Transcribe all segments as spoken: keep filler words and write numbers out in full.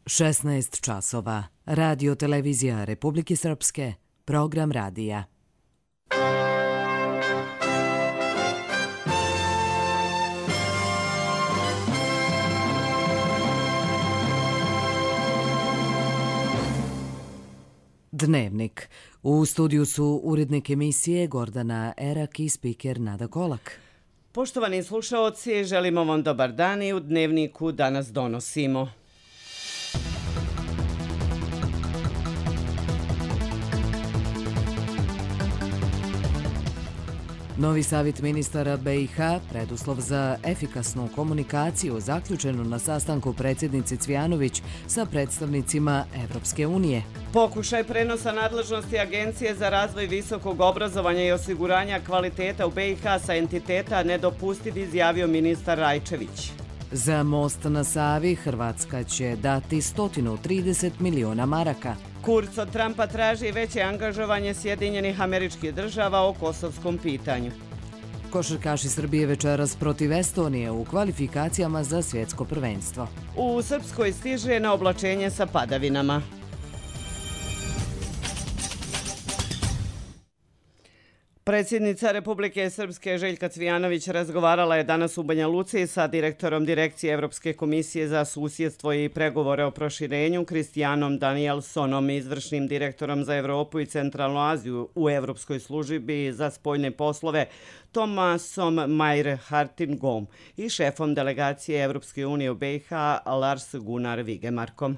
šesnaest časova. Radio televizija Republike Srpske. Program radija. Dnevnik. U studiju su urednik emisije Gordana Erak i spiker Nada Kolak. Poštovani slušaoci, želimo vam dobar dan i u Dnevniku danas donosimo. Novi savjet ministara B i H, preduslov za efikasnu komunikaciju, zaključeno na sastanku predsjednice Cvijanović sa predstavnicima Evropske unije. Pokušaj prenosa nadležnosti Agencije za razvoj visokog obrazovanja i osiguranja kvaliteta u B i H sa entiteta nedopustiv, izjavio ministar Rajčević. Za most na Savi Hrvatska će dati sto trideset miliona maraka. Kurz od Trumpa traži veće angažovanje Sjedinjenih Američkih Država o kosovskom pitanju. Košarkaši Srbije večeras protiv Estonije u kvalifikacijama za svjetsko prvenstvo. U Srpskoj stiže na oblačenje sa padavinama. Predsjednica Republike Srpske Željka Cvijanović razgovarala je danas u Banja Luci sa direktorom Direkcije Evropske komisije za susjedstvo i pregovore o proširenju Kristijanom Danielsonom, izvršnim direktorom za Evropu i Centralnu Aziju u Evropskoj službi za spoljne poslove Tomasom Mayer-Hartingom i šefom delegacije Evropske unije u B i H Lars Gunnar Vigemarkom.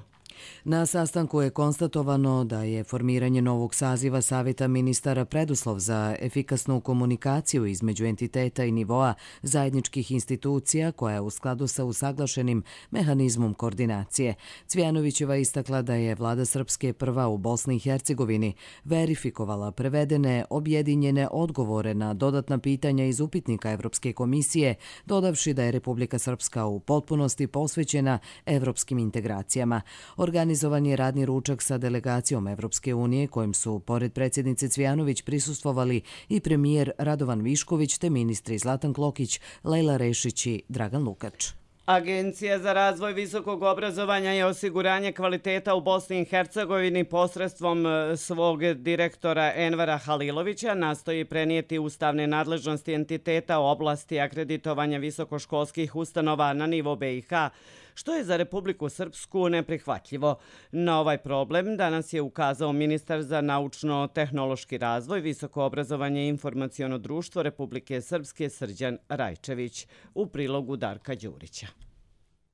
Na sastanku je konstatovano da je formiranje novog saziva Savjeta ministara preduslov za efikasnu komunikaciju između entiteta i nivoa zajedničkih institucija koja je u skladu sa usaglašenim mehanizmom koordinacije. Cvijanovićeva istakla da je vlada Srpske prva u Bosni i Hercegovini verifikovala prevedene objedinjene odgovore na dodatna pitanja iz upitnika Evropske komisije, dodavši da je Republika Srpska u potpunosti posvećena evropskim integracijama. Organizovan je radni ručak sa delegacijom Evropske unije kojim su, pored predsjednice Cvijanović, prisustvovali i premijer Radovan Višković te ministri Zlatan Klokić, Lejla Rešić i Dragan Lukač. Agencija za razvoj visokog obrazovanja i osiguranje kvaliteta u Bosni i Hercegovini posredstvom svog direktora Envera Halilovića nastoji prenijeti ustavne nadležnosti entiteta u oblasti akreditovanja visokoškolskih ustanova na nivo B i H, što je za Republiku Srpsku neprihvatljivo. Na ovaj problem danas je ukazao ministar za naučno-tehnološki razvoj, visoko obrazovanje i informaciono društvo Republike Srpske Srđan Rajčević u prilogu Darka Đurića.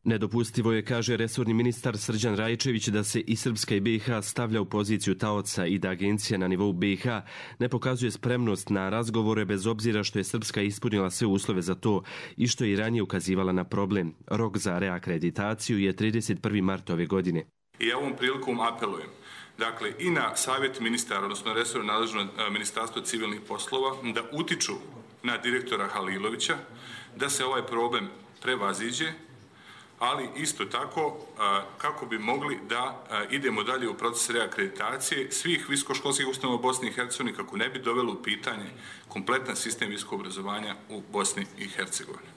Nedopustivo je, kaže resorni ministar Srđan Rajčević, da se i Srpska i B i H stavlja u poziciju taoca i da agencija na nivou B i H ne pokazuje spremnost na razgovore bez obzira što je Srpska ispunila sve uslove za to i što je i ranije ukazivala na problem. Rok za reakreditaciju je trideset prvi mart ove godine. I ja ovom prilikom apelujem, dakle, i na savjet ministara, odnosno resorno nadležno ministarstvo civilnih poslova, da utiču na direktora Halilovića, da se ovaj problem prevaziđe, ali isto tako kako bi mogli da idemo dalje u proces reakreditacije svih visokoškolskih ustanova u Bosni i Hercegovini, kako ne bi dovelo u pitanje kompletan sistem visokog obrazovanja u Bosni i Hercegovini.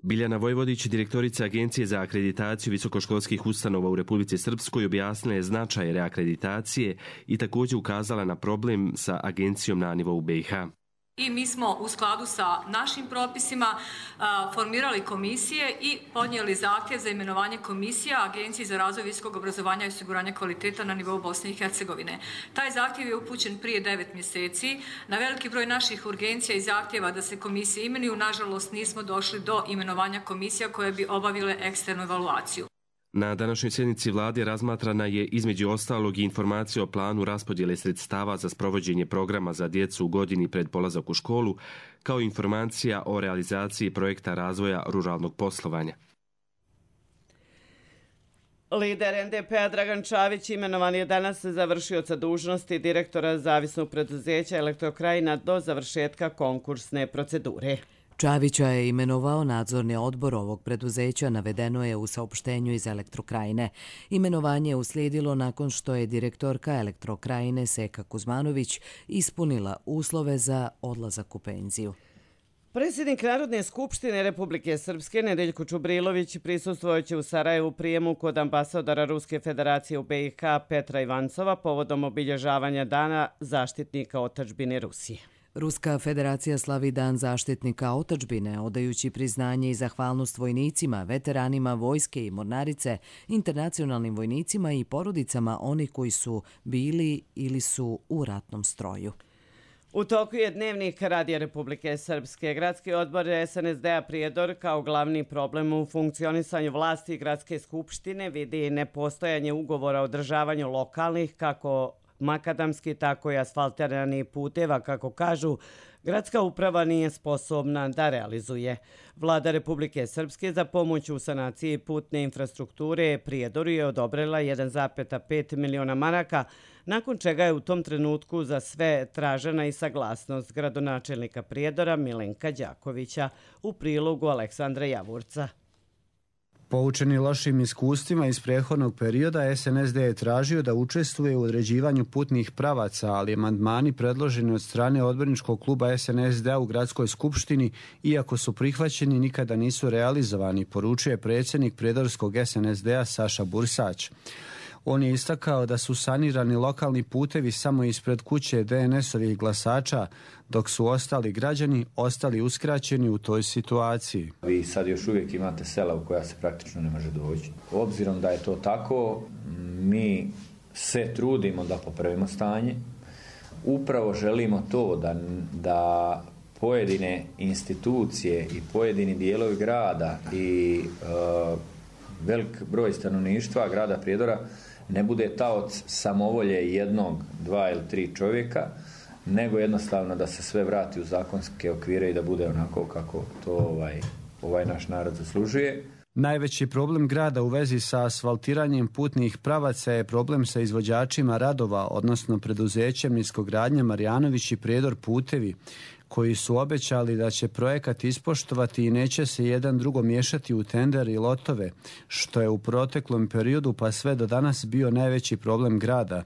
Biljana Vojvodić, direktorica Agencije za akreditaciju visokoškolskih ustanova u Republici Srpskoj, objasnila je značaj reakreditacije i također ukazala na problem sa agencijom na nivou B i H. I mi smo u skladu sa našim propisima a, formirali komisije i podnijeli zahtjev za imenovanje komisija Agenciji za razvoj visokog obrazovanja i osiguranja kvaliteta na nivou Bosne i Hercegovine. Taj zahtjev je upućen prije devet mjeseci. Na veliki broj naših urgencija i zahtjeva da se komisije imenuju, nažalost nismo došli do imenovanja komisija koje bi obavile eksternu evaluaciju. Na današnjoj sjednici vlade razmatrana je između ostalog i informacija o planu raspodjele sredstava za sprovođenje programa za djecu u godini pred polazak u školu, kao i informacija o realizaciji projekta razvoja ruralnog poslovanja. Lider en de pe a Dragan Čavić imenovan je danas za vršioca dužnosti direktora zavisnog preduzeća Elektrokrajina do završetka konkursne procedure. Čavića je imenovao nadzorni odbor ovog preduzeća, navedeno je u saopštenju iz Elektrokrajine. Imenovanje je uslijedilo nakon što je direktorka Elektrokrajine Seka Kuzmanović ispunila uslove za odlazak u penziju. Predsjednik Narodne skupštine Republike Srpske Nedeljko Čubrilović prisustvojući u Sarajevu prijemu kod ambasadora Ruske federacije u B i H Petra Ivancova povodom obilježavanja Dana zaštitnika otadžbine Rusije. Ruska federacija slavi Dan zaštitnika otadžbine, odajući priznanje i zahvalnost vojnicima, veteranima vojske i mornarice, internacionalnim vojnicima i porodicama onih koji su bili ili su u ratnom stroju. U toku je dnevnik Radija Republike Srpske. Gradski odbor S N S D-a Prijedor kao glavni problem u funkcionisanju vlasti i Gradske skupštine vidi nepostojanje ugovora o održavanju lokalnih, kako makadamski, tako i asfaltiranih puteva, kako kažu, gradska uprava nije sposobna da realizuje. Vlada Republike Srpske za pomoć u sanaciji putne infrastrukture Prijedoru je odobrila jedan zarez pet miliona maraka, nakon čega je u tom trenutku za sve tražena i saglasnost gradonačelnika Prijedora Milenka Đakovića u prilogu Aleksandra Javurca. Poučeni lošim iskustvima iz prethodnog perioda, S N S D je tražio da učestvuje u određivanju putnih pravaca, ali amandmani predloženi od strane odborničkog kluba S N S D-a u Gradskoj skupštini, iako su prihvaćeni, nikada nisu realizovani, poručuje predsjednik Prijedorskog S N S D-a Saša Bursać. On je istakao da su sanirani lokalni putevi samo ispred kuće D N S-ovih glasača, dok su ostali građani ostali uskraćeni u toj situaciji. Vi sad još uvijek imate sela u koja se praktično ne može doći. Obzirom da je to tako, mi se trudimo da popravimo stanje. Upravo želimo to da, da pojedine institucije i pojedini dijelovi grada i e, velik broj stanovništva grada Prijedora ne bude taoc samovolje jednog, dva ili tri čovjeka, nego jednostavno da se sve vrati u zakonske okvire i da bude onako kako to ovaj, ovaj naš narod zaslužuje. Najveći problem grada u vezi sa asfaltiranjem putnih pravaca je problem sa izvođačima radova, odnosno preduzećem Niskogradnja Marjanović i Prijedor putevi, koji su obećali da će projekat ispoštovati i neće se jedan drugo miješati u tender i lotove, što je u proteklom periodu pa sve do danas bio najveći problem grada.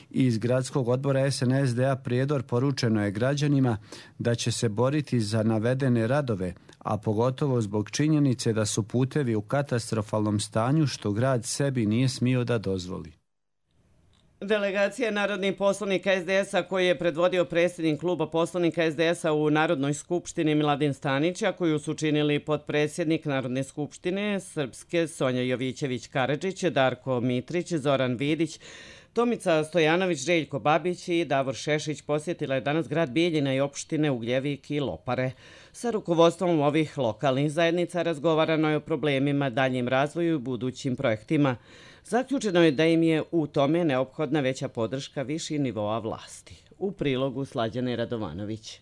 Iz gradskog odbora S N S D-a Prijedor poručeno je građanima da će se boriti za navedene radove, a pogotovo zbog činjenice da su putevi u katastrofalnom stanju što grad sebi nije smio da dozvoli. Delegacija narodnih poslanika S D S-a koji je predvodio predsjednik kluba poslanika S D S-a u Narodnoj skupštini Miladin Stanić, a koju su činili potpredsjednik Narodne skupštine Srpske Sonja Jovićević-Karadžić, Darko Mitrić, Zoran Vidić, Tomica Stojanović, Željko Babić i Davor Šešić posjetila je danas grad Bijeljina i opštine Ugljevik i Lopare. Sa rukovodstvom ovih lokalnih zajednica razgovarano je o problemima, daljnjem razvoju i budućim projektima. Zaključeno je da im je u tome neophodna veća podrška viših nivoa vlasti. U prilogu Slađane Radovanović.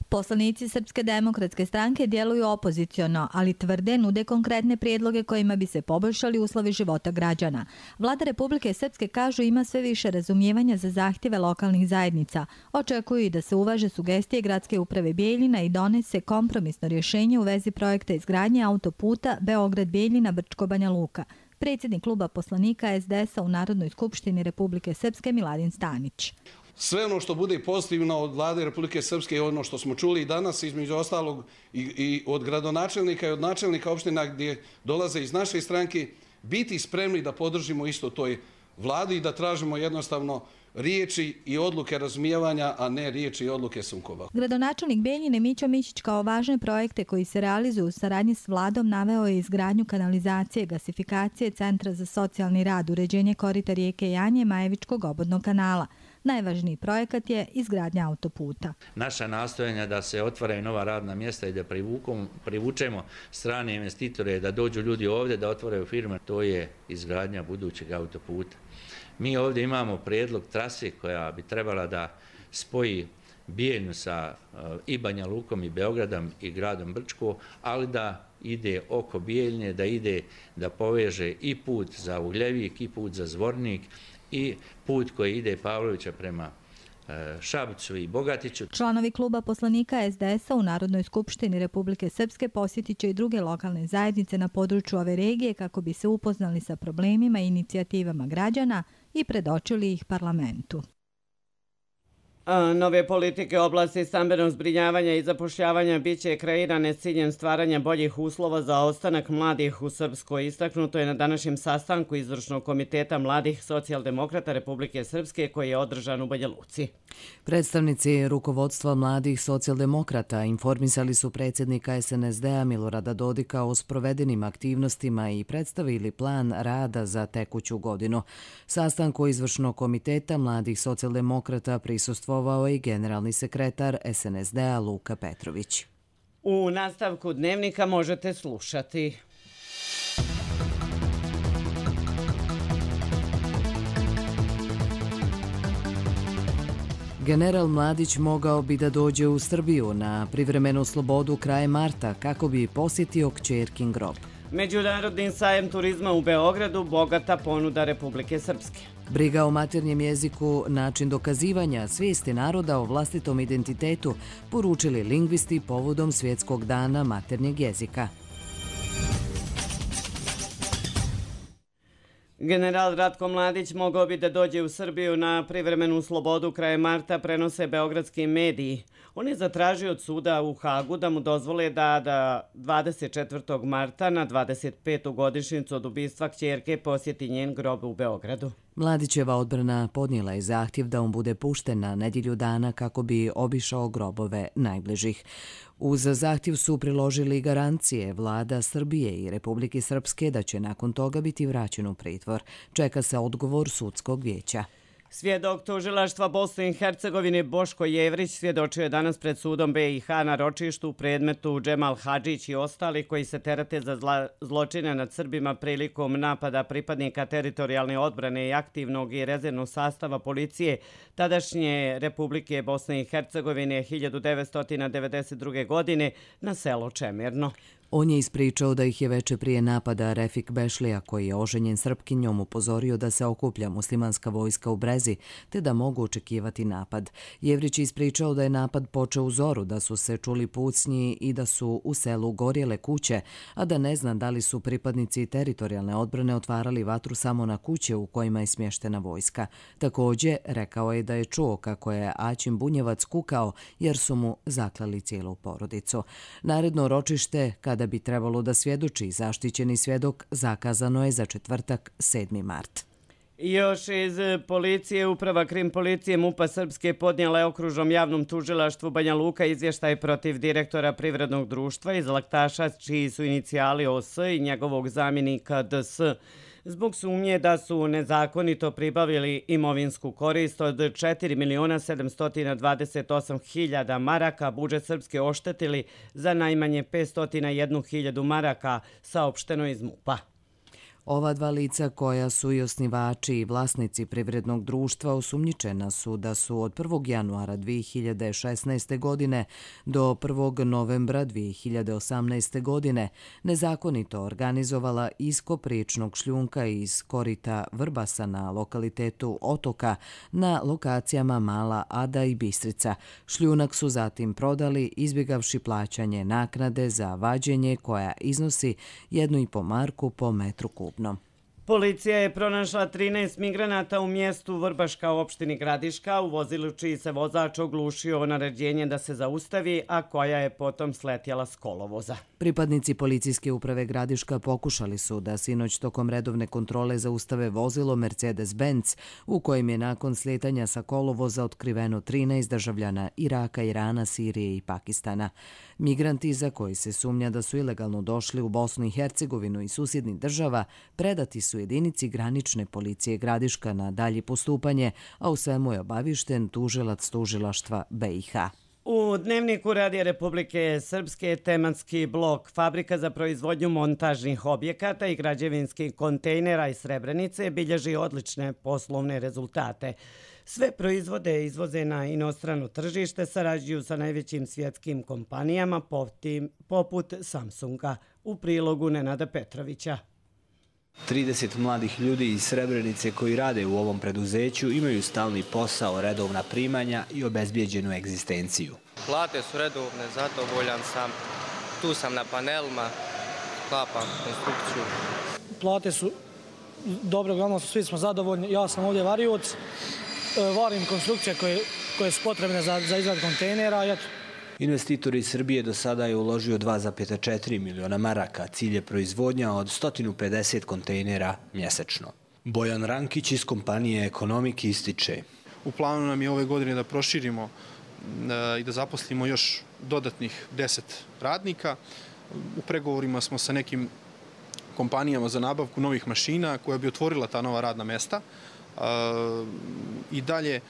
Poslanici Srpske demokratske stranke djeluju opoziciono, ali tvrde nude konkretne prijedloge kojima bi se poboljšali uslovi života građana. Vlada Republike Srpske, kažu, ima sve više razumijevanja za zahtjeve lokalnih zajednica. Očekuju i da se uvaže sugestije Gradske uprave Bijeljina i donese kompromisno rješenje u vezi projekta izgradnje autoputa Beograd-Bijeljina-Brčko-Banja Luka. Predsjednik kluba poslanika S D S-a u Narodnoj skupštini Republike Srpske Miladin Stanić. Sve ono što bude pozitivno od Vlade Republike Srpske i ono što smo čuli i danas, između ostalog i, i od gradonačelnika i od načelnika opština gdje dolaze iz naše stranke, biti spremni da podržimo isto toj vladi i da tražimo jednostavno riječi i odluke razumijevanja, a ne riječi i odluke sukoba. Gradonačelnik Bijeljine Mićo Mićić kao važne projekte koji se realizuju u saradnji s vladom naveo je izgradnju kanalizacije, gasifikacije, centra za socijalni rad, uređenje korita rijeke Janje, Majevičkog obodnog kanala. Najvažniji projekat je izgradnja autoputa. Naša nastojanja da se otvaraju nova radna mjesta i da privučemo strane investitore, da dođu ljudi ovdje, da otvaraju firme, to je izgradnja budućeg autoputa. Mi ovdje imamo prijedlog trase koja bi trebala da spoji Bijeljnu sa i Banja Lukom i Beogradom i gradom Brčko, ali da ide oko Bijeljne, da ide da poveže i put za Ugljevik i put za Zvornik i put koji ide Pavlovića prema Šapcu i Bogatiću. Članovi kluba poslanika S D S-a u Narodnoj skupštini Republike Srpske posjetit će i druge lokalne zajednice na području ove regije kako bi se upoznali sa problemima i inicijativama građana i predočili ih parlamentu. Nove politike oblasti stambenog zbrinjavanja i zapošljavanja biće kreirane s ciljem stvaranja boljih uslova za ostanak mladih u Srpskoj. Istaknuto je na današnjem sastanku Izvršnog komiteta mladih socijaldemokrata Republike Srpske koji je održan u Banja Luci. Predstavnici rukovodstva mladih socijaldemokrata informisali su predsjednika es en es de a Milorada Dodika o sprovedenim aktivnostima i predstavili plan rada za tekuću godinu. Sastanku Izvršnog komiteta mladih socijaldemokrata prisustvovao i generalni sekretar es en es de a Luka Petrović. U nastavku dnevnika možete slušati. General Mladić mogao bi da dođe u Srbiju na privremenu slobodu krajem marta kako bi posjetio kćerkin grob. Međunarodni sajem turizma u Beogradu, bogata ponuda Republike Srpske. Briga o maternjem jeziku, način dokazivanja svijesti naroda o vlastitom identitetu, poručili lingvisti povodom Svjetskog dana maternjeg jezika. General Ratko Mladić mogao bi da dođe u Srbiju na privremenu slobodu krajem marta, prenose beogradski mediji. On je zatražio od suda u Hagu da mu dozvole da da dvadeset četvrtog marta na dvadeset petu godišnjicu od ubistva kćerke posjeti njen grob u Beogradu. Mladićeva odbrana podnijela je zahtjev da on bude pušten na nedjelju dana kako bi obišao grobove najbližih. Uz zahtjev su priložili garancije vlada Srbije i Republike Srpske da će nakon toga biti vraćen u pritvor. Čeka se odgovor sudskog vijeća. Svjedok tužilaštva Bosne i Hercegovine Boško Jevrić svjedočio je danas pred sudom be i ha na ročištu u predmetu Džemal Hadžić i ostali koji se terate za zla, zločine nad Srbima prilikom napada pripadnika teritorijalne odbrane i aktivnog i rezervnog sastava policije tadašnje Republike Bosne i Hercegovine hiljadu devetsto devedeset druge. godine na selo Čemirno. On je ispričao da ih je veče prije napada Refik Bešlija, koji je oženjen Srpkinjom, upozorio da se okuplja muslimanska vojska u Brezi, te da mogu očekivati napad. Jevrić je ispričao da je napad počeo u zoru, da su se čuli pucnji i da su u selu gorjele kuće, a da ne zna da li su pripadnici teritorijalne odbrane otvarali vatru samo na kuće u kojima je smještena vojska. Također, rekao je da je čuo kako je Aćim Bunjevac kukao jer su mu zaklali cijelu porodicu. Naredno ročište, kada bi trebalo da svjedoči zaštićeni svjedok, zakazano je za četvrtak sedmi mart. Još iz policije, uprava krim policije MUP-a Srpske podnijela je okružnom javnom tužilaštvu Banja Luka izvještaj protiv direktora privrednog društva iz Laktaša, čiji su inicijali O S i njegovog zamjenika D S, zbog sumnje da su nezakonito pribavili imovinsku korist od četiri miliona sedamsto dvadeset osam hiljada maraka, budžet Srpske oštetili za najmanje petsto jedna hiljadu maraka, saopšteno iz MUP-a. Ova dva lica, koja su i osnivači i vlasnici privrednog društva, osumnjičena su da su od prvog januara dvije hiljade šesnaeste. godine do prvog novembra dvije hiljade osamnaeste. godine nezakonito organizovala iskop riječnog šljunka iz korita Vrbasa na lokalitetu Otoka na lokacijama Mala Ada i Bistrica. Šljunak su zatim prodali, izbjegavši plaćanje naknade za vađenje koja iznosi jednu i po marku po metru kubnom. Policija je pronašla trinaest migranata u mjestu Vrbaška u opštini Gradiška u vozilu čiji se vozač oglušio o naređenje da se zaustavi, a koja je potom sletjela s kolovoza. Pripadnici policijske uprave Gradiška pokušali su da sinoć tokom redovne kontrole zaustave vozilo Mercedes-Benz u kojem je nakon slijetanja sa kolovoza otkriveno trinaest državljana Iraka, Irana, Sirije i Pakistana. Migranti za koji se sumnja da su ilegalno došli u Bosnu i Hercegovinu i susjednih država predati su jedinici granične policije Gradiška na dalje postupanje, a u svemu je obavišten tužilac tužilaštva be i ha. U Dnevniku Radija Republike Srpske tematski blok Fabrika za proizvodnju montažnih objekata i građevinskih kontejnera iz Srebrenice bilježi odlične poslovne rezultate. Sve proizvode izvoze na inostrano tržište, sarađuju sa najvećim svjetskim kompanijama poput Samsunga. U prilogu Nenada Petrovića. trideset mladih ljudi iz Srebrenice koji rade u ovom preduzeću imaju stalni posao, redovna primanja i obezbijeđenu egzistenciju. Plate su redovne, zadovoljan sam. Tu sam na panelima, sklapam konstrukciju. Plate su dobre, uglavnom svi smo zadovoljni. Ja sam ovdje varioc, varim konstrukcije koje koje su potrebne za, za izradu kontejnera. I eto. Investitor iz Srbije do sada je uložio dva zarez četiri miliona maraka. Cilj je proizvodnja od sto pedeset kontejnera mjesečno. Bojan Rankić iz kompanije Ekonomik ističe. U planu nam je ove godine da proširimo i da zaposlimo još dodatnih deset radnika. U pregovorima smo sa nekim kompanijama za nabavku novih mašina koja bi otvorila ta nova radna mesta. I dalje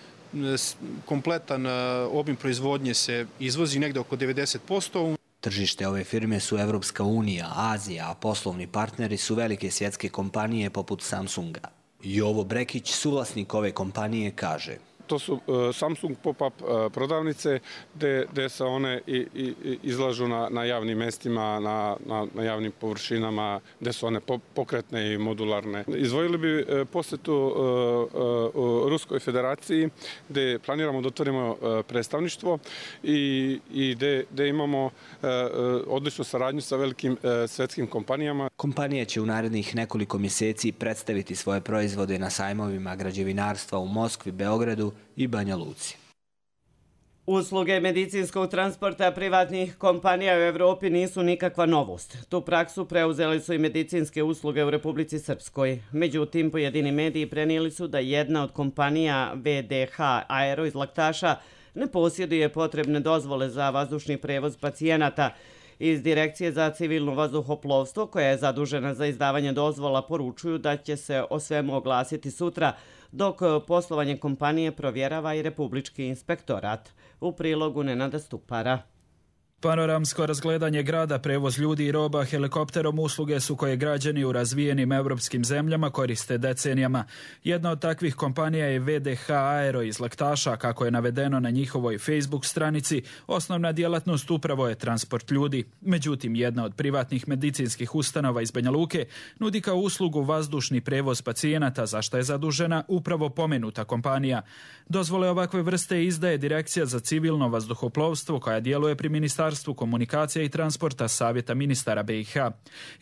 kompletan obim proizvodnje se izvozi negde oko devedeset posto. Tržište ove firme su Evropska unija, Azija, a poslovni partneri su velike svjetske kompanije poput Samsunga. Jovo Brekić, suvlasnik ove kompanije, kaže. To su Samsung pop-up prodavnice gdje se one i, i, izlažu na, na javnim mestima, na, na, na javnim površinama, gdje su one pokretne i modularne. Izvojili bi posjetu u Ruskoj federaciji gdje planiramo da otvorimo predstavništvo i, i gdje, gdje imamo odličnu saradnju sa velikim svjetskim kompanijama. Kompanija će u narednih nekoliko mjeseci predstaviti svoje proizvode na sajmovima građevinarstva u Moskvi, Beogradu i Banja Luci. Usluge medicinskog transporta privatnih kompanija u Evropi nisu nikakva novost. Tu praksu preuzeli su i medicinske usluge u Republici Srpskoj. Međutim, pojedini mediji prenijeli su da jedna od kompanija V D H Aero iz Laktaša ne posjeduje potrebne dozvole za vazdušni prevoz pacijenata. Iz Direkcije za civilno vazduhoplovstvo, koja je zadužena za izdavanje dozvola, poručuju da će se o svemu oglasiti sutra, dok poslovanje kompanije provjerava i Republički inspektorat. U prilogu Nenada Stupara. Panoramsko razgledanje grada, prevoz ljudi i roba helikopterom usluge su koje građani u razvijenim evropskim zemljama koriste decenijama. Jedna od takvih kompanija je V D H Aero iz Laktaša, kako je navedeno na njihovoj Facebook stranici. Osnovna djelatnost upravo je transport ljudi. Međutim, jedna od privatnih medicinskih ustanova iz Banja Luke nudi kao uslugu vazdušni prevoz pacijenata, za što je zadužena upravo pomenuta kompanija. Dozvole ovakve vrste izdaje Direkcija za civilno vazduhoplovstvo, koja djeluje pri Ministarstvu komunikacija i transporta Savjeta ministara B i H.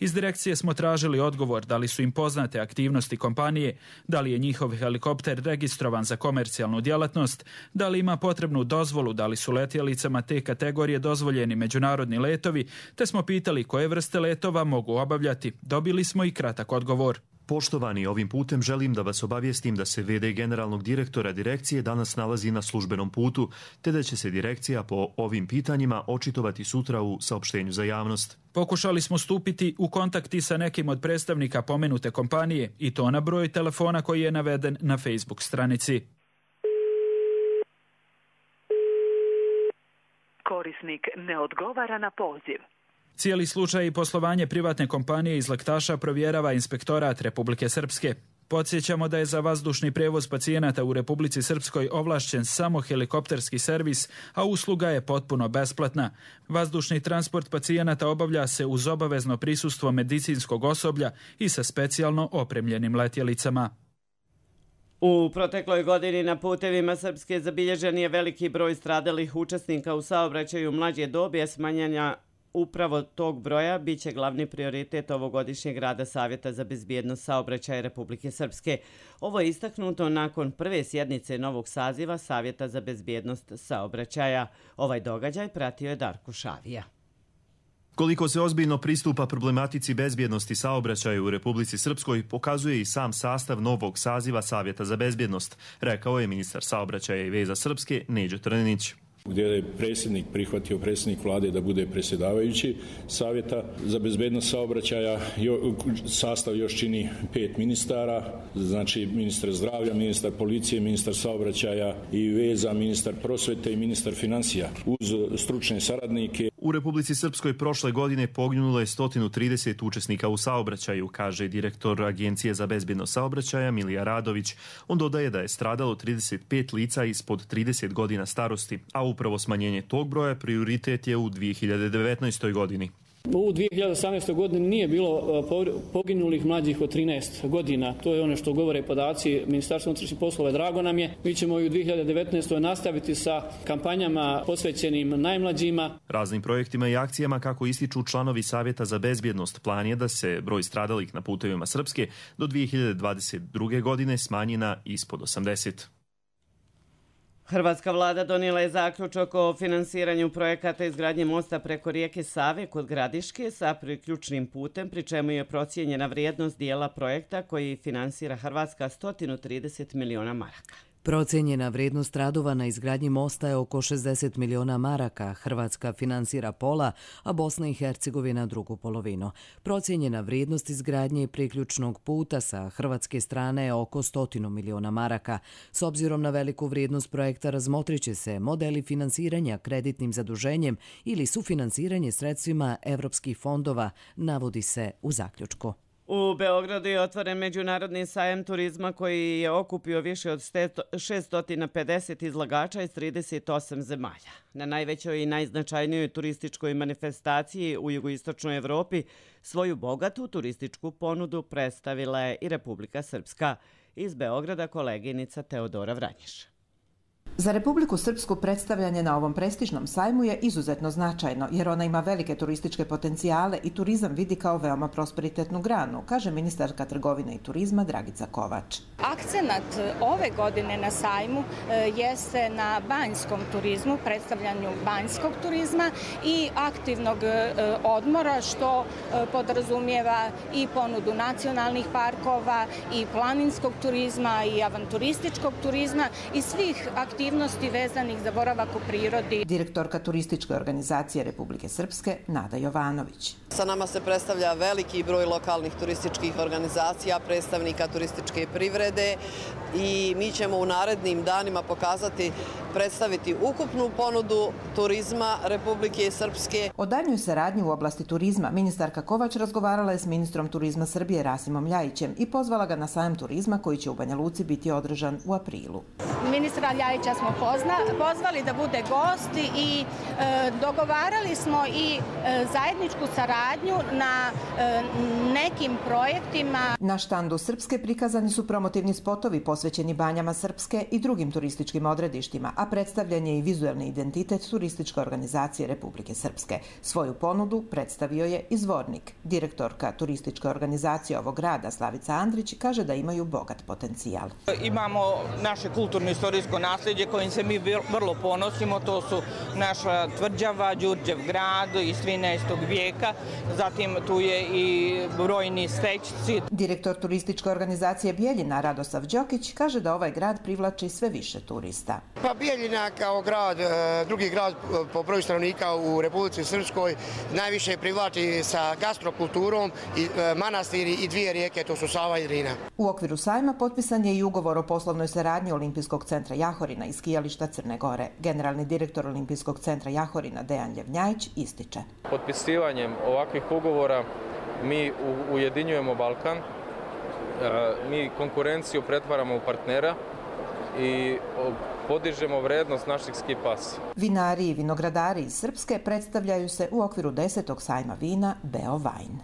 Iz direkcije smo tražili odgovor da li su im poznate aktivnosti kompanije, da li je njihov helikopter registrovan za komercijalnu djelatnost, da li ima potrebnu dozvolu, da li su letjelicama te kategorije dozvoljeni međunarodni letovi, te smo pitali koje vrste letova mogu obavljati. Dobili smo i kratak odgovor. Poštovani, ovim putem želim da vas obavijestim da se V D generalnog direktora direkcije danas nalazi na službenom putu, te da će se direkcija po ovim pitanjima očitovati sutra u saopštenju za javnost. Pokušali smo stupiti u kontakti sa nekim od predstavnika pomenute kompanije i to na broj telefona koji je naveden na Facebook stranici. Korisnik ne odgovara na poziv. Cijeli slučaj i poslovanje privatne kompanije iz Laktaša provjerava Inspektorat Republike Srpske. Podsjećamo da je za vazdušni prevoz pacijenata u Republici Srpskoj ovlašćen samo helikopterski servis, a usluga je potpuno besplatna. Vazdušni transport pacijenata obavlja se uz obavezno prisustvo medicinskog osoblja i sa specijalno opremljenim letjelicama. U protekloj godini na putevima Srpske zabilježen je veliki broj stradalih učesnika u saobraćaju mlađe dobi, a smanjenja upravo tog broja biće glavni prioritet ovogodišnjeg rada Savjeta za bezbjednost saobraćaja Republike Srpske. Ovo je istaknuto nakon prve sjednice novog saziva Savjeta za bezbjednost saobraćaja. Ovaj događaj pratio je Darko Šavija. Koliko se ozbiljno pristupa problematici bezbjednosti saobraćaja u Republici Srpskoj pokazuje i sam sastav novog saziva Savjeta za bezbjednost, rekao je ministar saobraćaja i veza Srpske Neđo Trninić. Gdje je predsjednik prihvatio predsjednik vlade da bude predsjedavajući Savjeta za bezbednost saobraćaja. Sastav još čini pet ministara, znači ministar zdravlja, ministar policije, ministar saobraćaja i veza, ministar prosvete i ministar financija uz stručne saradnike. U Republici Srpskoj prošle godine poginulo je sto trideset učesnika u saobraćaju, kaže direktor Agencije za bezbjednost saobraćaja Milija Radović. On dodaje da je stradalo trideset pet lica ispod trideset godina starosti, a upravo smanjenje tog broja prioritet je u dvije hiljade devetnaestoj. godini. U dvije hiljade osamnaestoj. godini nije bilo poginulih mlađih od trinaest godina. To je ono što govore podaci Ministarstva unutrašnjih poslova. Drago nam je. Mi ćemo i u dvije hiljade devetnaestoj. nastaviti sa kampanjama posvećenim najmlađima. Raznim projektima i akcijama, kako ističu članovi Savjeta za bezbjednost, plan je da se broj stradalih na putevima Srpske do dvije hiljade dvadeset druge. godine smanji na ispod osamdeset. Hrvatska vlada donijela je zaključak o finansiranju projekata izgradnje mosta preko rijeke Save kod Gradiške sa priključnim putem, pri čemu je procijenjena vrijednost dijela projekta koji finansira Hrvatska sto trideset miliona maraka. Procijenjena vrijednost radova na izgradnji mosta je oko šezdeset miliona maraka. Hrvatska finansira pola, a Bosna i Hercegovina drugu polovinu. Procijenjena vrijednost izgradnje priključnog puta sa hrvatske strane je oko stotinu miliona maraka. S obzirom na veliku vrijednost projekta razmotrit će se modeli finansiranja kreditnim zaduženjem ili sufinansiranje sredstvima evropskih fondova, navodi se u zaključku. U Beogradu je otvoren međunarodni sajam turizma koji je okupio više od šesto pedeset izlagača iz trideset osam zemalja. Na najvećoj i najznačajnijoj turističkoj manifestaciji u jugoistočnoj Evropi svoju bogatu turističku ponudu predstavila je i Republika Srpska. Iz Beograda koleginica Teodora Vranješ. Za Republiku Srpsku predstavljanje na ovom prestižnom sajmu je izuzetno značajno, jer ona ima velike turističke potencijale i turizam vidi kao veoma prosperitetnu granu, kaže ministarka trgovine i turizma Dragica Kovač. Akcenat ove godine na sajmu jeste na banjskom turizmu, predstavljanju banjskog turizma i aktivnog odmora, što podrazumijeva i ponudu nacionalnih parkova, i planinskog turizma, i avanturističkog turizma i svih aktivnosti aktivnosti vezanih za boravak u prirodi. Direktorka turističke organizacije Republike Srpske Nada Jovanović. Sa nama se predstavlja veliki broj lokalnih turističkih organizacija, predstavnika turističke privrede i mi ćemo u narednim danima pokazati, predstaviti ukupnu ponudu turizma Republike Srpske. O daljnjoj saradnji u oblasti turizma ministarka Kovač razgovarala je s ministrom turizma Srbije Rasimom Ljajićem i pozvala ga na sajam turizma koji će u Banja Luci biti održan u aprilu. Ministra Ljajića smo pozna, pozvali da bude gost i e, dogovarali smo i e, zajedničku saradnju na e, nekim projektima. Na štandu Srpske prikazani su promotivni spotovi posvećeni banjama Srpske i drugim turističkim odredištima, a predstavljen je i vizuelni identitet turističke organizacije Republike Srpske. Svoju ponudu predstavio je izvornik. Direktorka turističke organizacije ovog grada Slavica Andrić kaže da imaju bogat potencijal. Imamo naše kulturno-istorijsko nasljeđe kojim se mi vrlo ponosimo. To su naša tvrđava, Đurđev grad iz trinaestog vijeka. Zatim tu je i brojni stećci. Direktor turističke organizacije Bijeljina Radosav Đokić kaže da ovaj grad privlači sve više turista. Pa Bijeljina kao grad, drugi grad po broju stanovnika u Republici Srpskoj, najviše privlači sa gastrokulturom i manastiri i dvije rijeke, to su Sava i Drina. U okviru sajma potpisan je i ugovor o poslovnoj saradnji Olimpijskog centra Jahorina i skijališta Crne Gore. Generalni direktor Olimpijskog centra Jahorina Dejan Ljevnjajić ističe. Potpisivanjem ovakvih ugovora mi ujedinjujemo Balkan, mi konkurenciju pretvaramo u partnera i podižemo vrednost naših ski pasa. Vinari i vinogradari iz Srpske predstavljaju se u okviru desetog sajma vina Beovajn.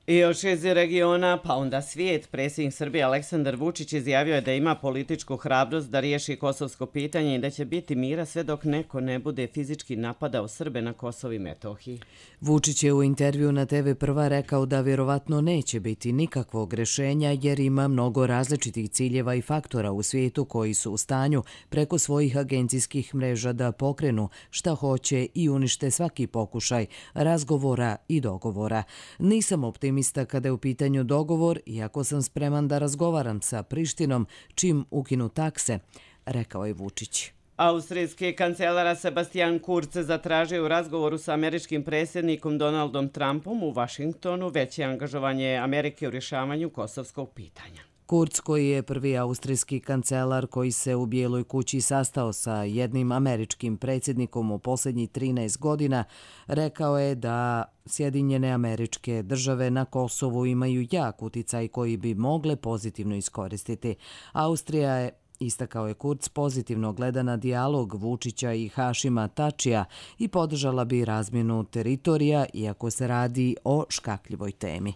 I još iz regiona, pa onda svijet, predsjednik Srbije Aleksandar Vučić izjavio je da ima političku hrabrost da riješi kosovsko pitanje i da će biti mira sve dok neko ne bude fizički napadao Srbe na Kosovu i Metohiji. Vučić je u intervju na te ve Prva rekao da vjerovatno neće biti nikakvog rješenja jer ima mnogo različitih ciljeva i faktora u svijetu koji su u stanju preko svojih agencijskih mreža da pokrenu šta hoće i unište svaki pokušaj razgovora i dogovora. Nisam optimista kada je u pitanju dogovor, iako sam spreman da razgovaram sa Prištinom čim ukinu takse, rekao je Vučić. Austrijski kancelar Sebastian Kurz zatražio u razgovoru sa američkim predsjednikom Donaldom Trumpom u Vašingtonu veće angažovanje Amerike u rješavanju kosovskog pitanja. Kurz, koji je prvi austrijski kancelar koji se u Bijeloj kući sastao sa jednim američkim predsjednikom u posljednjih trinaest godina, rekao je da Sjedinjene Američke Države na Kosovu imaju jak uticaj koji bi mogle pozitivno iskoristiti. Austrija je, istakao je Kurz, pozitivno gleda na dijalog Vučića i Hašima Tačija i podržala bi razmjenu teritorija, iako se radi o škakljivoj temi.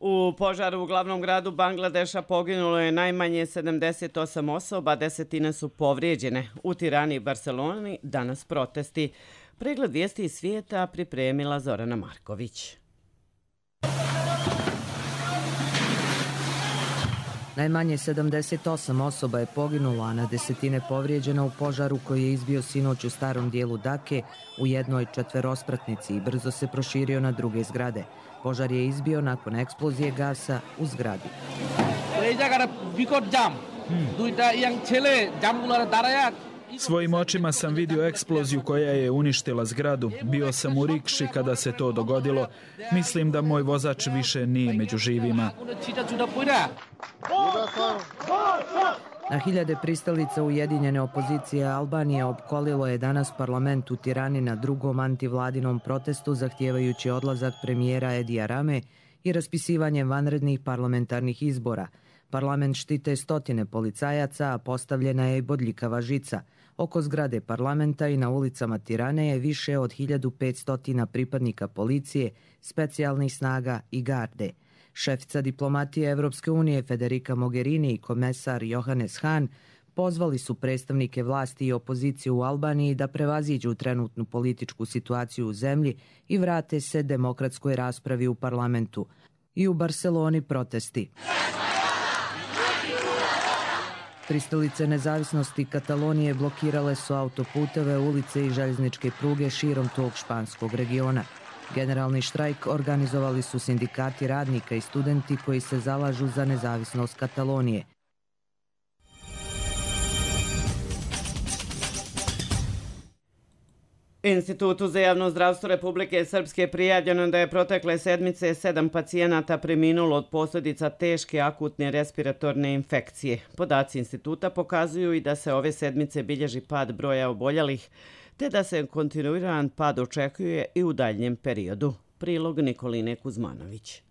U požaru u glavnom gradu Bangladeša poginulo je najmanje sedamdeset osam osoba, desetine su povrijeđene. U Tirani i Barceloni danas protesti. Pregled vijesti iz svijeta pripremila Zorana Marković. Najmanje sedamdeset osam osoba je poginulo, a na desetine povrijeđena u požaru koji je izbio sinoć u starom dijelu Dake u jednoj četverospratnici i brzo se proširio na druge zgrade. Požar je izbio nakon eksplozije gasa u zgradi. Svojim očima sam vidio eksploziju koja je uništila zgradu. Bio sam u rikši kada se to dogodilo. Mislim da moj vozač više nije među živima. Na hiljade pristalica ujedinjene opozicije Albanije opkolilo je danas parlament u Tirani na drugom antivladinom protestu zahtjevajući odlazak premijera Edija Rame i raspisivanje vanrednih parlamentarnih izbora. Parlament štite stotine policajaca, a postavljena je i bodljikava žica. Oko zgrade parlamenta i na ulicama Tirane je više od hiljadu petsto pripadnika policije, specijalnih snaga i garde. Šefica diplomatije Evropske unije Federica Mogherini i komesar Johannes Hahn pozvali su predstavnike vlasti i opozicije u Albaniji da prevaziđu trenutnu političku situaciju u zemlji i vrate se demokratskoj raspravi u parlamentu. I u Barseloni protesti. Pristalice nezavisnosti Katalonije blokirale su autoputeve, ulice i željezničke pruge širom tog španskog regiona. Generalni štrajk organizovali su sindikati radnika i studenti koji se zalažu za nezavisnost Katalonije. Institutu za javno zdravstvo Republike Srpske prijavljeno da je protekle sedmice sedam pacijenata preminulo od posljedica teške akutne respiratorne infekcije. Podaci instituta pokazuju i da se ove sedmice bilježi pad broja oboljelih, te da se kontinuiran pad očekuje i u daljnjem periodu. Prilog Nikoline Kuzmanović.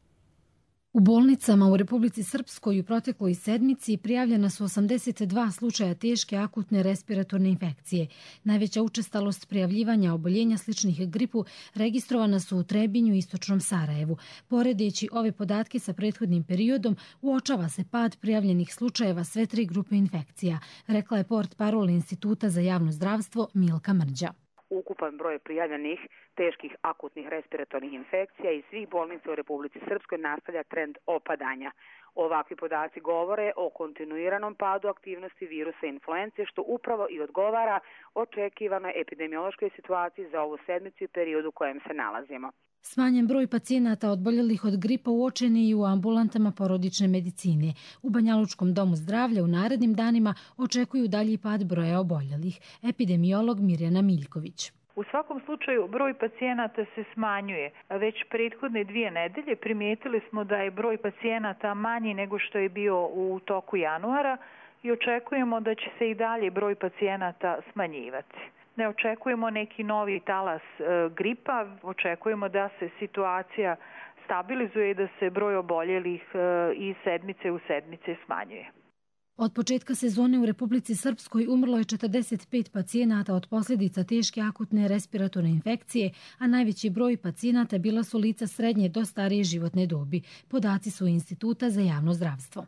U bolnicama u Republici Srpskoj u protekloj sedmici prijavljena su osamdeset dva slučaja teške akutne respiratorne infekcije. Najveća učestalost prijavljivanja oboljenja sličnih gripu registrovana su u Trebinju i istočnom Sarajevu. Poredeći ove podatke sa prethodnim periodom, uočava se pad prijavljenih slučajeva sve tri grupe infekcija, rekla je portparol Instituta za javno zdravstvo Milka Mrđa. Ukupan broj prijavljenih teških akutnih respiratornih infekcija iz svih bolnica u Republici Srpskoj nastavlja trend opadanja. Ovakvi podaci govore o kontinuiranom padu aktivnosti virusa influence, što upravo i odgovara očekivanoj epidemiološkoj situaciji za ovu sedmicu i periodu u kojem se nalazimo. Smanjen broj pacijenata odboljelih od gripa uočen je i u ambulantama porodične medicine. U Banjalučkom domu zdravlja u narednim danima očekuju dalji pad broja oboljelih. Epidemiolog Mirjana Miljković. U svakom slučaju broj pacijenata se smanjuje. Već prethodne dvije nedelje primijetili smo da je broj pacijenata manji nego što je bio u toku januara i očekujemo da će se i dalje broj pacijenata smanjivati. Ne očekujemo neki novi talas e, gripa, očekujemo da se situacija stabilizuje i da se broj oboljelih e, iz sedmice u sedmice smanjuje. Od početka sezone u Republici Srpskoj umrlo je četrdeset pet pacijenata od posljedica teške akutne respiratorne infekcije, a najveći broj pacijenata bila su lica srednje do starije životne dobi. Podaci su Instituta za javno zdravstvo.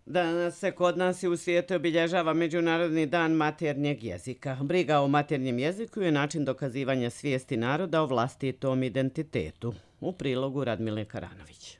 Danas se kod nas i u svijetu obilježava Međunarodni dan maternjeg jezika. Briga o maternjem jeziku je način dokazivanja svijesti naroda o vlastitom identitetu. U prilogu Radmile Karanović.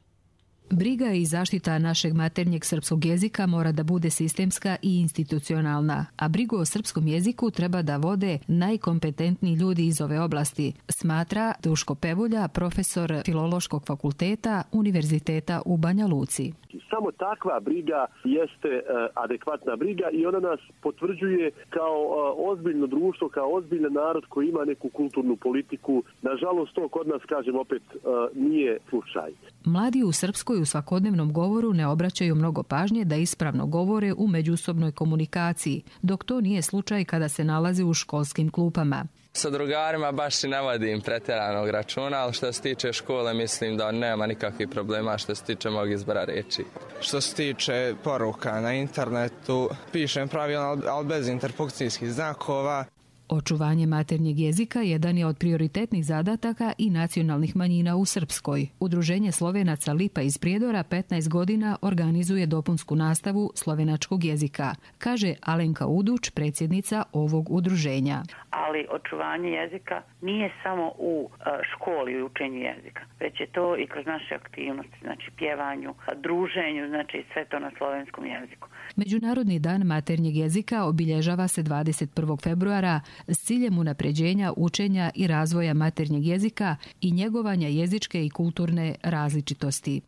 Briga i zaštita našeg maternjeg srpskog jezika mora da bude sistemska i institucionalna, a brigu o srpskom jeziku treba da vode najkompetentniji ljudi iz ove oblasti, smatra Duško Pevulja, profesor Filološkog fakulteta Univerziteta u Banja Luci. Samo takva briga jeste uh, adekvatna briga i ona nas potvrđuje kao uh, ozbiljno društvo, kao ozbiljan narod koji ima neku kulturnu politiku. Nažalost, to kod nas, kažem opet, uh, nije slučaj. Mladi u Srpskoj u svakodnevnom govoru ne obraćaju mnogo pažnje da ispravno govore u međusobnoj komunikaciji, dok to nije slučaj kada se nalaze u školskim klupama. Sa drugarima baš i ne vodim pretjeranog računa, ali što se tiče škole mislim da nema nikakvih problema što se tiče mog izbora reči. Što se tiče poruka na internetu, pišem pravilno, ali bez interpunkcijskih znakova. Očuvanje maternjeg jezika jedan je od prioritetnih zadataka i nacionalnih manjina u Srpskoj. Udruženje Slovenaca Lipa iz Prijedora petnaest godina organizuje dopunsku nastavu slovenačkog jezika, kaže Alenka Uduč, predsjednica ovog udruženja. Ali očuvanje jezika nije samo u školi i učenju jezika, već je to i kroz naše aktivnosti, znači pjevanju, druženju, znači sve to na slovenskom jeziku. Međunarodni dan maternjeg jezika obilježava se dvadeset prvog februara s ciljem unapređenja učenja i razvoja maternjeg jezika i njegovanja jezičke i kulturne različitosti.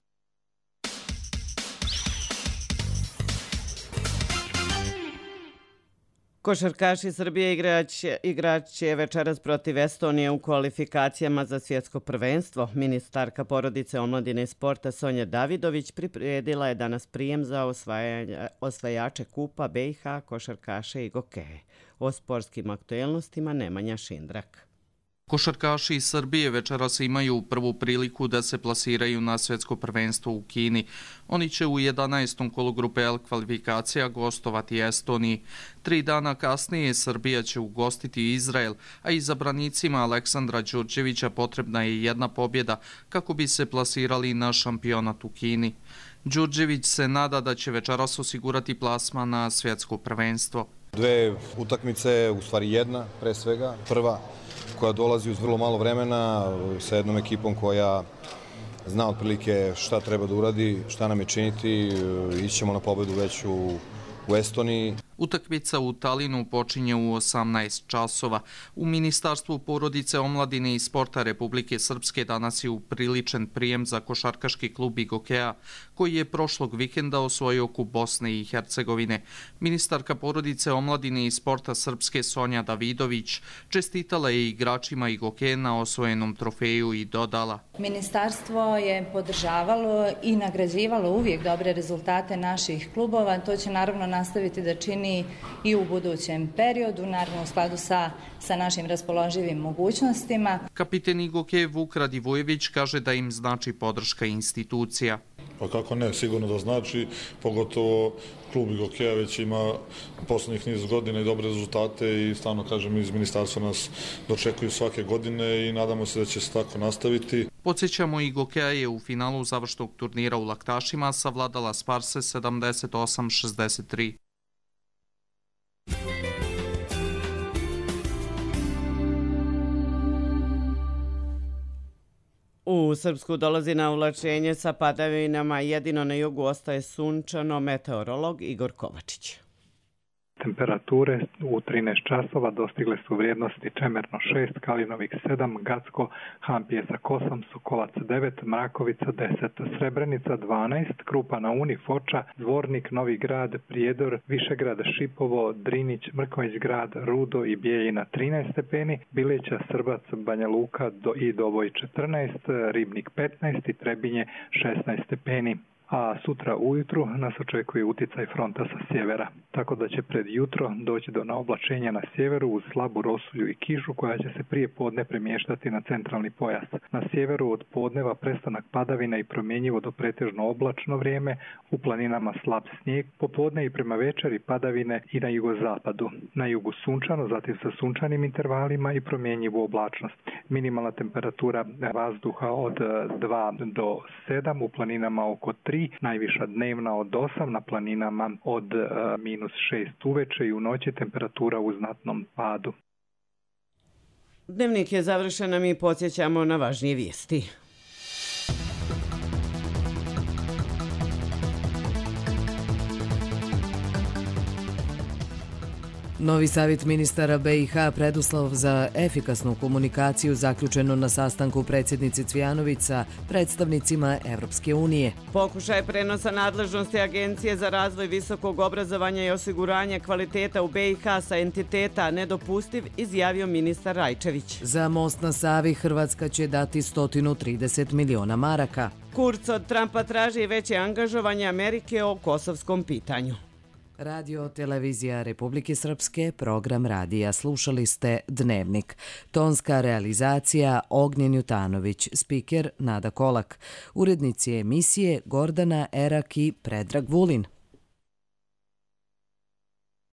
Košarkaši Srbije igraće, igraće večeras protiv Estonije u kvalifikacijama za svjetsko prvenstvo. Ministarka porodice, omladine i sporta Sonja Davidović priredila je danas prijem za osvajače kupa B i H, košarkaše i gokeje. O sportskim aktuelnostima Nemanja Šindrak. Košarkaši iz Srbije večeras imaju prvu priliku da se plasiraju na svjetsko prvenstvo u Kini. Oni će u jedanaestom kolu grupe L kvalifikacija gostovati Estoniji. Tri dana kasnije Srbija će ugostiti Izrael, a izabranicima Aleksandra Đurđevića potrebna je jedna pobjeda kako bi se plasirali na šampionat u Kini. Đurđević se nada da će večeras osigurati plasman na svjetsko prvenstvo. Dve utakmice, u stvari jedna pre svega, prva koja dolazi uz vrlo malo vremena sa jednom ekipom koja zna otprilike šta treba da uradi, šta nam je činiti, ićemo na pobedu već u, u Estoniji. Utakmica u Talinu počinje u osamnaest časova. U Ministarstvu porodice, omladine i sporta Republike Srpske danas je upriličen prijem za košarkaški klub Igokeja, koji je prošlog vikenda osvojio kup Bosne i Hercegovine. Ministarka porodice, omladine i sporta Srpske Sonja Davidović čestitala je igračima Igokeja na osvojenom trofeju i dodala: Ministarstvo je podržavalo i nagrađivalo uvijek dobre rezultate naših klubova. To će naravno nastaviti da čini i u budućem periodu, naravno u skladu sa, sa našim raspoloživim mogućnostima. Kapiten Igokeja Vuk Radivojević kaže da im znači podrška institucija. Pa kako ne, sigurno da znači, pogotovo klub Igokeja već ima poslednjih niz godina i dobre rezultate i stvarno, kažem, iz ministarstva nas dočekuju svake godine i nadamo se da će se tako nastaviti. Podsjećamo, Igokeja je u finalu završnog turnira u laktašima savladala Sparse sedamdeset osam šezdeset tri. U Srpsku dolazi na uvlačenje sa padavinama, jedino na jugu ostaje sunčano, meteorolog Igor Kovačić. Temperature u trinaest časova dostigle su vrijednosti Čemerno šest, Kalinovik sedam, Gacko, Hampjesak osam, Sokolac devet, Mrakovica deset, Srebrenica dvanaest, Krupa na Uni, Foča, Zvornik, Novi Grad, Prijedor, Višegrad, Šipovo, Drinić, Mrković grad, Rudo i Bijeljina trinaest stepeni, Bileća, Srbac, Banja Luka do, i Doboj četrnaest, Ribnik petnaest i Trebinje šesnaest stepeni. A sutra ujutru nas očekuje uticaj fronta sa sjevera, tako da će pred jutro doći do naoblačenja na sjeveru uz slabu rosulju i kišu koja će se prije podne premještati na centralni pojas. Na sjeveru od podneva prestanak padavina i promjenjivo do pretežno oblačno vrijeme, u planinama slab snijeg, popodne i prema večeri padavine i na jugozapadu. Na jugu sunčano, zatim sa sunčanim intervalima i promjenjivu oblačnost. Minimalna temperatura vazduha od dva do sedam, u planinama oko tri, najviša dnevna od osam, na planinama od uh, minus šest uveče i u noći temperatura u znatnom padu. Dnevnik je završen, a mi podsjećamo na važnije vijesti. Novi savjet ministara B i H preduslov za efikasnu komunikaciju zaključeno na sastanku predsjednice Cvjanović sa predstavnicima Evropske unije. Pokušaj prenosa nadležnosti Agencije za razvoj visokog obrazovanja i osiguranja kvaliteta u B i H sa entiteta nedopustiv, izjavio ministar Rajčević. Za most na Savi Hrvatska će dati sto trideset miliona maraka. Kurz od Trumpa traži veće angažovanje Amerike o kosovskom pitanju. Radio Televizija Republike Srpske, program radija. Slušali ste Dnevnik. Tonska realizacija Ognjen Jutanović, spiker Nada Kolak. Urednici emisije Gordana Erak i Predrag Vulin.